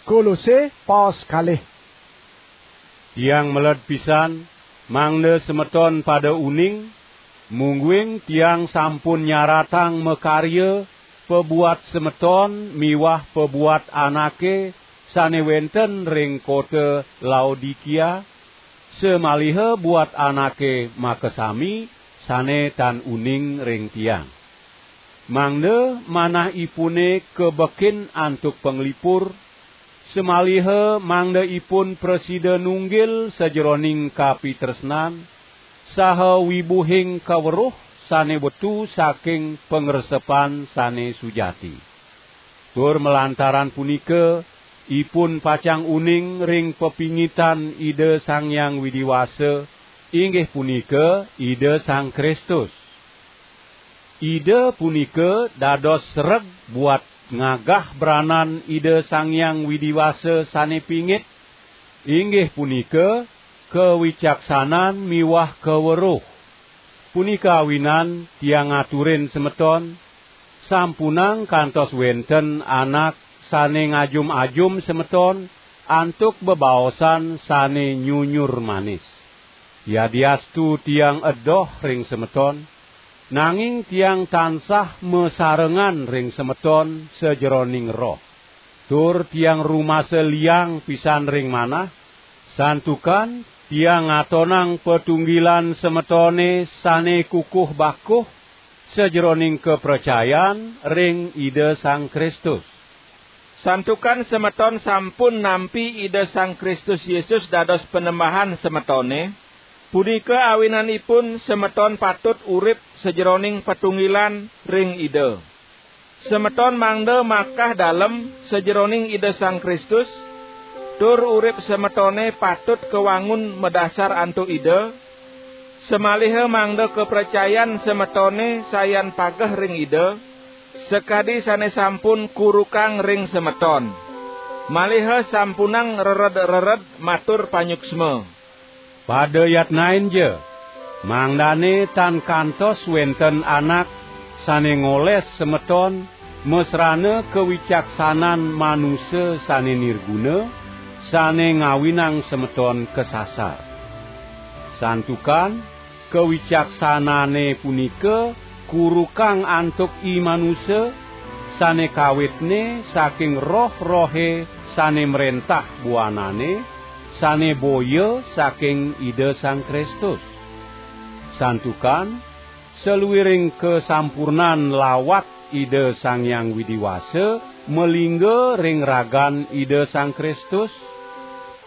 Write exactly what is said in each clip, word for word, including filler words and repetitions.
Kolose pas kalih. Tiang meled pisan, mangda semeton pada uning, mungguing tiang sampun nyaratang makarya pabuat semeton miwah pabuat anake sane wenten ring kota Laodikia, samaliha buat anake makasami sane tan uning ring tiang. Mangda manahipune kabekin antuk panglipur, samaliha mangda ipun prasida nunggil sajeroning kapitresnan saha wibuhing kaweruh sane wetu saking pangresepan sane sujati. Tur malantaran punika, ipun pacang uning ring pepingitan Ida Sang Hyang Widi Wasa, inggih punika Ida Sang Kristus. Ida punika dados sereg buat ngagah branan Ida Sang Hyang Widi Wasa sane pingit, inggih punika kawicaksanan miwah kaweruh. Punika awinan tiang ngaturin semeton, sampunang kantos wenten anak sane ngajum-ajum semeton antuk bebaosan sane nyunyur manis. Yadiastu tiang edoh ring semeton, nanging tiang tansah masarengan ring semeton sajeroning roh. Tur tiang rumasa liang pisan ring manah, santukan tiang ngatonang patunggilan semetone sane kukuh bakuh sajeroning kapracayan ring Ida Sang Kristus. Santukan semeton sampun nampi Ida Sang Kristus Yesus dados Panembahan semetone, punika awinanipun semeton patut urip sajeroning patunggilan ring Ida. Semeton mangda makah dalem sajeroning Ida Sang Kristus, tur urip semetone patut kawangun madasar antuk Ida, samaliha mangda kapracayan semetone sayan pageh ring Ida, sakadi sane sampun kurukang ring semeton. Maliha sampunang rered-rered matur panyuksma. Pada yatnainja, mangdane tan kantos wenten anak sane ngoles semeton masrana kawicaksanan manusa sane nirguna, sane ngawinang semeton kasasar. Santukan kawicaksanane punika kurukang antuk i manusa, sane kawitne saking roh-rohe sane mrentah buanane, sane boya saking Ida Sang Kristus. Santukan saluiring kasampurnan lawat Ida Sang Hyang Widi Wasa malingga ring ragan Ida Sang Kristus,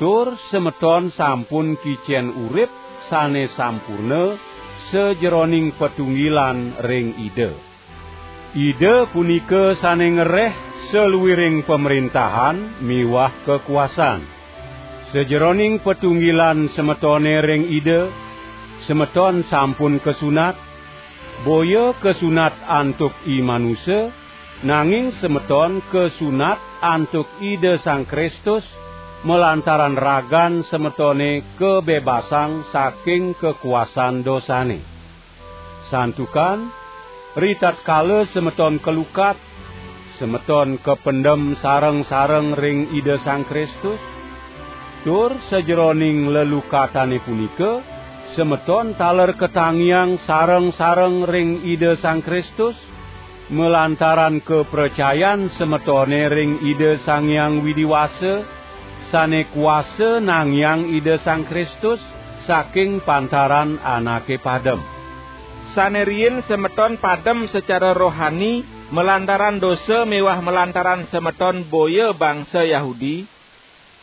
tur semeton sampun kicen urip sane sampurna sajeroning patunggilan ring Ida. Ida punika sane ngereh saluiring pamrentahan miwah kakuasan. Sajeroning patunggilan semetone ring Ida, semeton sampun kasunat, boya kasunat antuk i manusa, nanging semeton kasunat antuk Ida Sang Kristus, malantaran ragan semetone kabebasang saking kakuasan dosane. Santukan, ritatkala semeton kalukat, semeton kapendem sareng-sareng ring Ida Sang Kristus, tur sajeroning lelukatane punika, semeton taler katangiang sareng-sareng ring Ida Sang Kristus, malantaran kapracayan semetone ring Ida Sang Hyang Widi Wasa, sane kuasa nangiang Ida Sang Kristus saking pantaran anake padem. Sane riin semeton padem secara rohani malantaran dosa miwah malantaran semeton boya bangsa Yahudi,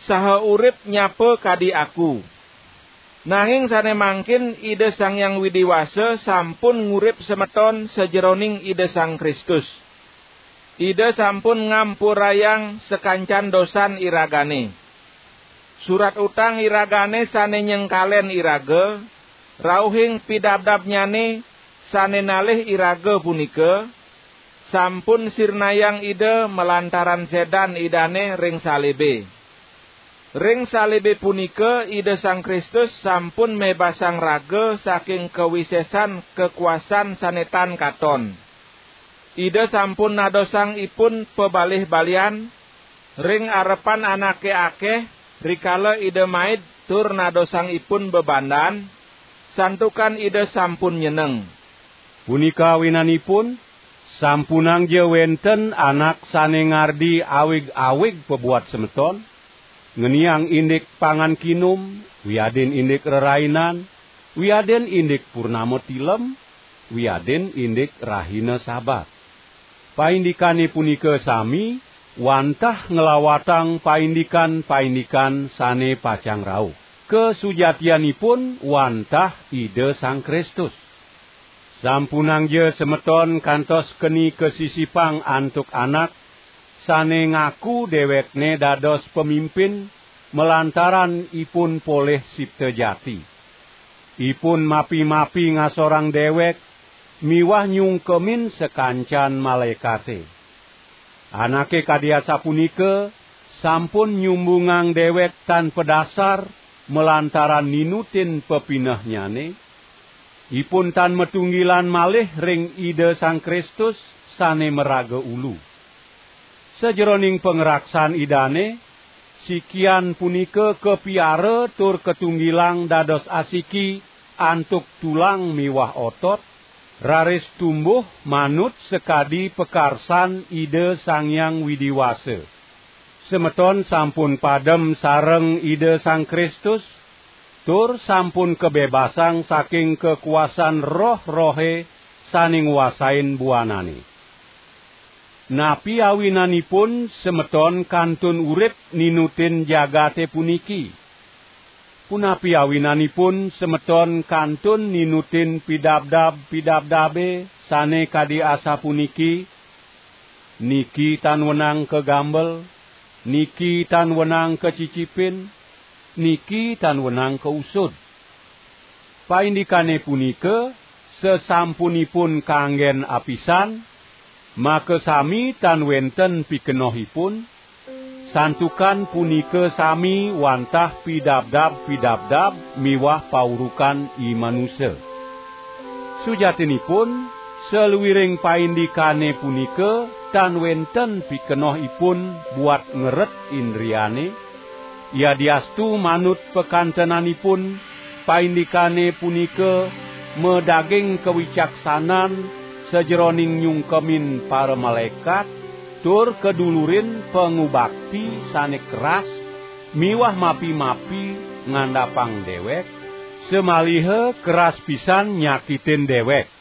saha urip nyapa kadi aku. Nanging sane mangkin Ida Sang Hyang Widi Wasa sampun ngurip semeton sajeroning Ida Sang Kristus. Ida sampun ngampurayang sakancan dosan iragane. Surat utang iragane sane nyengkalen iraga, rauhing pidabdabnyane sane nalih iraga punika, sampun sirnayang Ida malantaran sedan Idane ring salibe. Ring salibe punika Ida Sang Kristus sampun mebasang raga saking kawisesan kakuasan sane tan katon. Ida sampun nadosang ipun pabalih-balihan, ring arepan anake akeh, rikala Ida maid tur nadosang ipun bebandan, santukan Ida sampun nyeneng. Punika awinanipun, sampunangja wenten anak sane ngardi awig-awig pabuat semeton, ngeniang indik pangan kinum, wiadin indik rerainan, wiadin indik purnama tilem, wiadin indik rahina Sabat. Paindikane punika sami wantah nglawatang paindikan-paindikan sane pacang rauh. Kasujatianipun wantah Ida Sang Kristus. Sampunangja semeton kantos keni kasisipang antuk anak sane ngaku dewekne dados pemimpin malantaran ipun polih sipta jati. Ipun mapi-mapi ngasorang dewek miwah nyungkemin sakancan malaekate. Anake kadi asapunika sampun nyumbungang dewek tan padasar malantaran ninutin pepinehnyane. Ipun tan matunggilan malih ring Ida Sang Kristus sane maraga ulu. Sajeroning pangraksan Idane, sikian punika kapiara tur katunggilang dados asiki antuk tulang miwah otot, raris tumbuh manut sakadi pakarsan Ida Sang Hyang Widi Wasa. Semeton sampun padem sareng Ida Sang Kristus, tur sampun kabebasang saking kakuasan roh-rohe sane nguasain buanane. Napi awinanipun semeton kantun urip ninutin jagate puniki? Punapi awinanipun semeton kantun ninutin pidabdab-pidabdabe sane kadi asapuniki, "Niki tan wenang kagambel, niki tan wenang kacicipin, niki tan wenang kausud"? Paindikane punika sasampunipun kanggen apisan, makasami tan wenten pikenohipun, santukan punika sami wantah pidabdab-pidabdab miwah paurukan i manusa. Sujatinipun, saluiring paindikane punika tan wenten pikenohipun buat ngeret indriane, yadiastu manut pakantenanipun, paindikane punika madaging kawicaksanan sajeroning nyungkemin paramalaekat, tur kadulurin pangubakti sane keras miwah mapi-mapi ngandapang dewek, samaliha keras pisan nyakitin dewek.